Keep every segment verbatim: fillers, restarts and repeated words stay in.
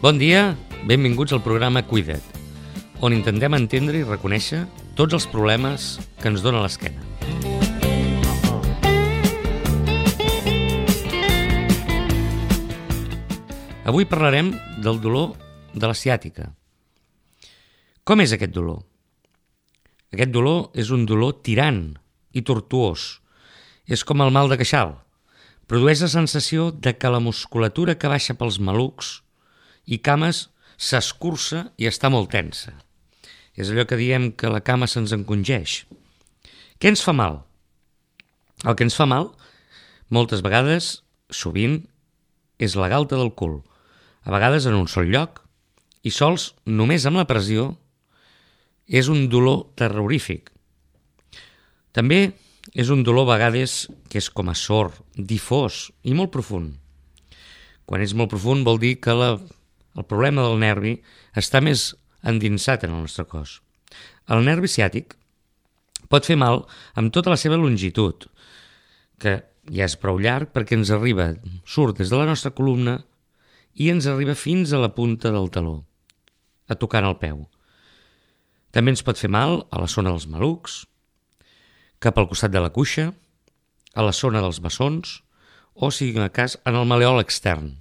Bon dia, benvinguts al programa Cuida't, on intentem entendre i reconèixer tots els problemes que ens dona l'esquena. Avui parlarem del dolor de la ciàtica. Com és aquest dolor? Aquest dolor és un dolor tirant i tortuós. És com el mal de queixal. Produeix la sensació de que la musculatura que baixa pels malucs i cames s'escurça i està molt tensa. És allò que diem que la cama se'ns encongeix. Què ens fa mal? El que ens fa mal, moltes vegades, sovint, és la galta del cul. A vegades en un sol lloc, i sols només amb la pressió, és un dolor terrorífic. També és un dolor a vegades que és com a sord, difós i molt profund. Quan és molt profund vol dir que la, el problema del nervi està més endinsat en el nostre cos. El nervi ciàtic pot fer mal amb tota la seva longitud, que ja és prou llarg perquè ens arriba, surt des de la nostra columna i ens arriba fins a la punta del taló, a tocar el peu. També ens pot fer mal a la zona dels malucs, cap al costat de la cuixa, a la zona dels bessons, o, si en el cas, en el maleol extern,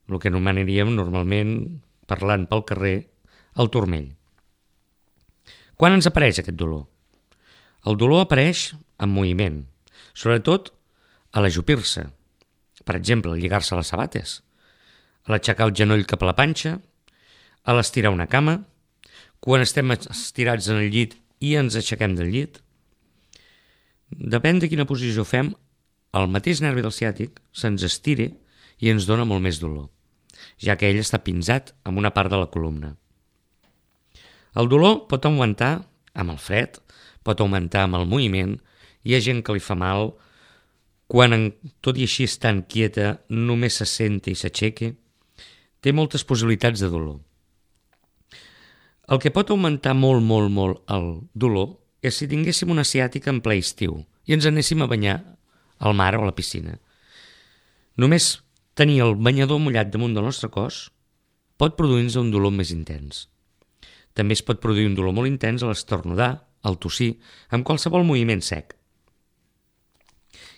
el que anomenaríem normalment, parlant pel carrer, el turmell. Quan ens apareix aquest dolor? El dolor apareix en moviment, sobretot a l'ajupir-se, per exemple, al lligar-se les sabates, a l'aixecar el genoll cap a la panxa, a l'estirar una cama, quan estem estirats en el llit i ens aixequem del llit. Depèn de quina posició fem, el mateix nervi del ciàtic se'ns estira i ens dona molt més dolor, ja que ell està pinzat amb una part de la columna. El dolor pot augmentar amb el fred, pot augmentar amb el moviment, hi ha gent que li fa mal quan, tot i així estant quieta, només se senta i s'aixeca. Té moltes possibilitats de dolor. El que pot augmentar molt, molt, molt el dolor és si tinguéssim una ciàtica en ple estiu i ens anéssim a banyar al mar o a la piscina. Només tenir el banyador mullat damunt del nostre cos pot produir-nos un dolor més intens. També es pot produir un dolor molt intens a l'esternudar, al tossir, amb qualsevol moviment sec.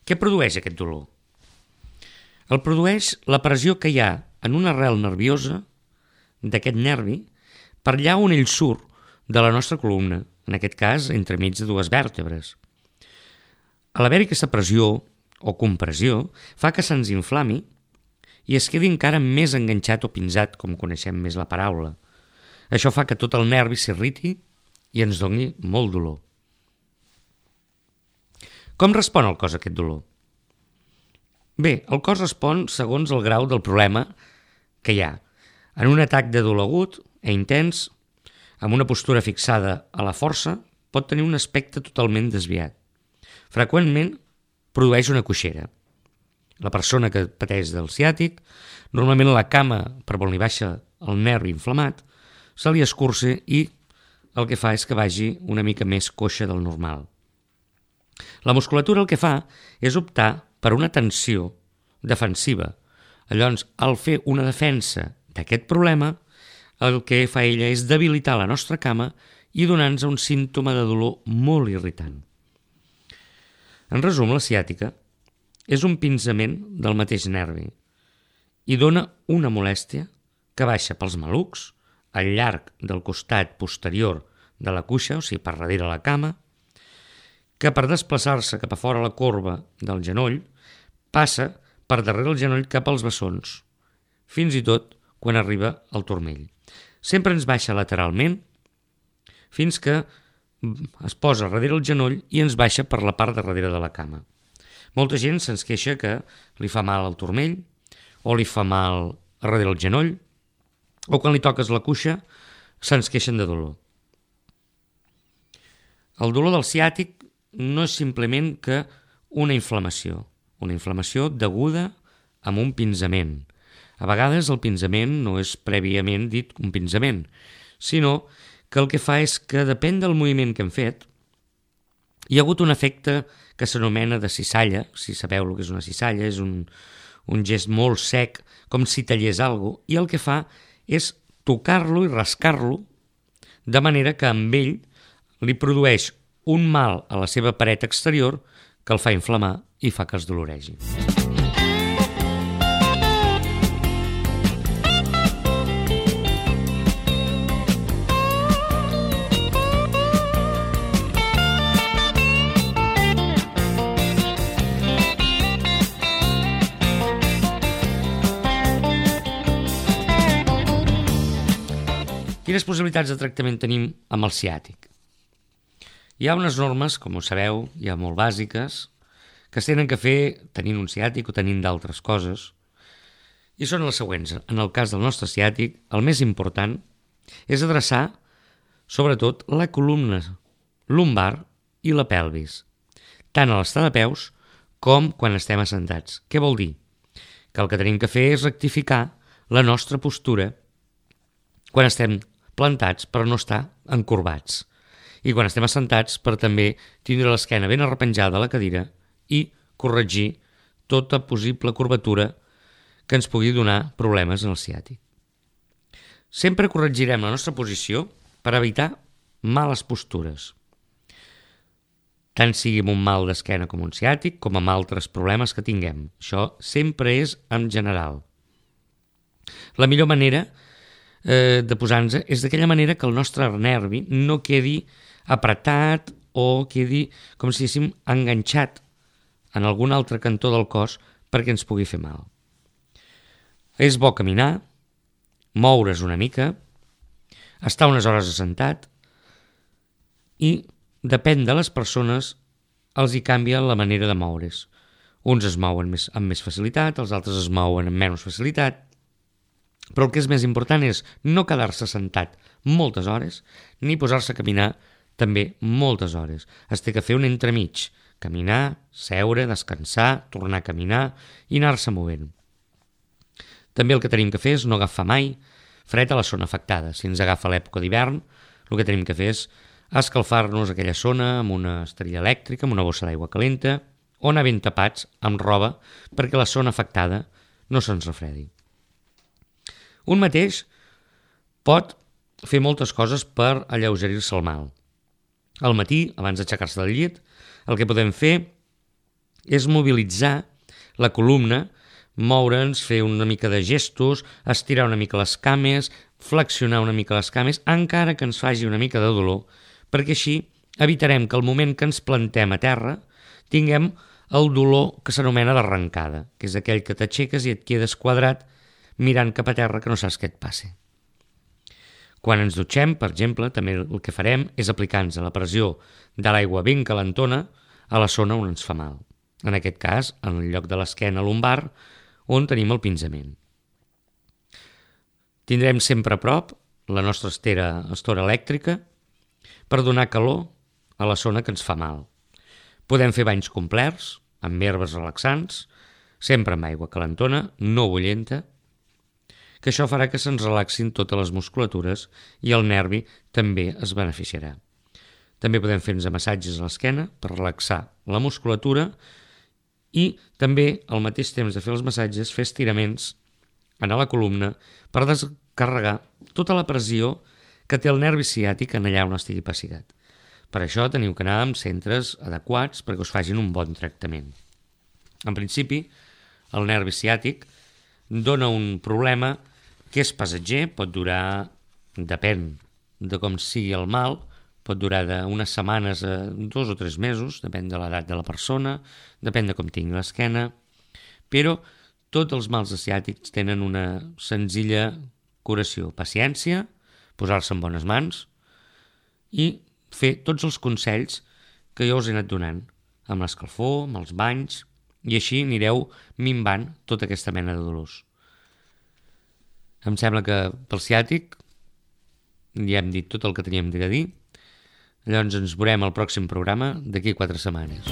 Què produeix aquest dolor? El produeix la pressió que hi ha en una arrel nerviosa d'aquest nervi per allà on ell surt de la nostra columna, en aquest cas entremig de dues vèrtebres. A l'haver-hi aquesta pressió o compressió fa que se'ns inflami i es quedi encara més enganxat o pinzat, com coneixem més la paraula. Això fa que tot el nervi s'irriti i ens doni molt dolor. Com respon el cos a aquest dolor? Bé, el cos respon segons el grau del problema que hi ha. En un atac de dolor agut e intens, amb una postura fixada a la força, pot tenir un aspecte totalment desviat. Freqüentment produeix una coixera. La persona que pateix del ciàtic, normalment la cama per on li baixa el nervi inflamat, se li escurça i el que fa és que vagi una mica més coixa del normal. La musculatura el que fa és optar per una tensió defensiva. Llavors, al fer una defensa d'aquest problema, el que fa ella és debilitar la nostra cama i donar-nos un símptoma de dolor molt irritant. En resum, la ciàtica és un pinzament del mateix nervi i dona una molèstia que baixa pels malucs, al llarg del costat posterior de la cuixa, o sigui, per darrere la cama, que per desplaçar-se cap a fora la corba del genoll passa per darrere el genoll cap als bessons, fins i tot quan arriba al turmell. Sempre ens baixa lateralment fins que es posa darrere el genoll i ens baixa per la part de darrere de la cama. Molta gent se'ns queixa que li fa mal al turmell o li fa mal a darrere el genoll o quan li toques la cuixa se'ns queixen de dolor. El dolor del ciàtic no és simplement que una inflamació, una inflamació deguda a un pinzament. A vegades el pinzament no és prèviament dit un pinzament, sinó que el que fa és que depèn del moviment que hem fet, hi ha hagut un efecte que s'anomena de cissalla. Si sabeu el que és una cissalla, és un, un gest molt sec, com si tallés alguna cosa, i el que fa és tocar-lo i rascar-lo de manera que amb ell li produeix un mal a la seva paret exterior que el fa inflamar i fa que es doloregi. Quines possibilitats de tractament tenim amb el ciàtic? Hi ha unes normes, com ho sabeu, ja molt bàsiques, que es tenen que fer tenint un ciàtic o tenint d'altres coses, i són les següents. En el cas del nostre ciàtic, el més important és adreçar, sobretot, la columna lumbar i la pelvis, tant a l'estar de peus com quan estem assentats. Què vol dir? Que el que tenim que fer és rectificar la nostra postura quan estem plantats per no estar encorbats, i quan estem assentats per també tindre l'esquena ben arrepenjada a la cadira i corregir tota possible curvatura que ens pugui donar problemes en el ciàtic. Sempre corregirem la nostra posició per evitar males postures, tant sigui amb un mal d'esquena com un ciàtic, com amb altres problemes que tinguem. Això sempre és en general. La millor manera Eh, de posar-nos és d'aquella manera que el nostre nervi no quedi apretat o quedi com si diguéssim enganxat en algun altre cantó del cos perquè ens pugui fer mal. És bo caminar, moure's una mica, estar unes hores assentat, i depèn de les persones els hi canvia la manera de moure's. Uns es mouen més, amb més facilitat, els altres es mouen amb menys facilitat. Però el que és més important és no quedar-se sentat moltes hores ni posar-se a caminar també moltes hores. Es té que fer un entremig, caminar, seure, descansar, tornar a caminar i anar-se movent. També el que tenim que fer és no agafar mai fred a la zona afectada. Si ens agafa l'època d'hivern, el que tenim que fer és escalfar-nos aquella zona amb una esterilla elèctrica, amb una bossa d'aigua calenta, o anar ben tapats amb roba perquè la zona afectada no se'ns refredi. Un mateix pot fer moltes coses per alleugerir-se el mal. Al matí, abans d'aixecar-se del llit, el que podem fer és mobilitzar la columna, moure'ns, fer una mica de gestos, estirar una mica les cames, flexionar una mica les cames, encara que ens faci una mica de dolor, perquè així evitarem que al moment que ens plantem a terra tinguem el dolor que s'anomena d'arrencada, que és aquell que t'aixeques i et quedes quadrat mirant cap a terra que no saps què et passi. Quan ens dutxem, per exemple, també el que farem és aplicar-nos la pressió de l'aigua ben calentona a la zona on ens fa mal. En aquest cas, en el lloc de l'esquena lumbar, on tenim el pinzament. Tindrem sempre a prop la nostra estera, estora elèctrica per donar calor a la zona que ens fa mal. Podem fer banys complets, amb herbes relaxants, sempre amb aigua calentona, no bullenta, que això farà que se'ns relaxin totes les musculatures i el nervi també es beneficiarà. També podem fer-nos massatges a l'esquena per relaxar la musculatura i també, al mateix temps de fer els massatges, fer estiraments en la columna per descarregar tota la pressió que té el nervi ciàtic en allà on estigui passigat. Per això teniu que anar amb centres adequats perquè us facin un bon tractament. En principi, el nervi ciàtic dona un problema que és passatger, pot durar, depèn de com sigui el mal, pot durar d'unes setmanes a dos o tres mesos, depèn de l'edat de la persona, depèn de com tingui l'esquena, però tots els mals ciàtics tenen una senzilla curació. Paciència, posar-se en bones mans i fer tots els consells que jo us he anat donant, amb l'escalfor, amb els banys, i així anireu minvant tota aquesta mena de dolors. Em sembla que pel ciàtic ja hem dit tot el que teníem de dir. Llavors ens veurem al pròxim programa d'aquí quatre setmanes.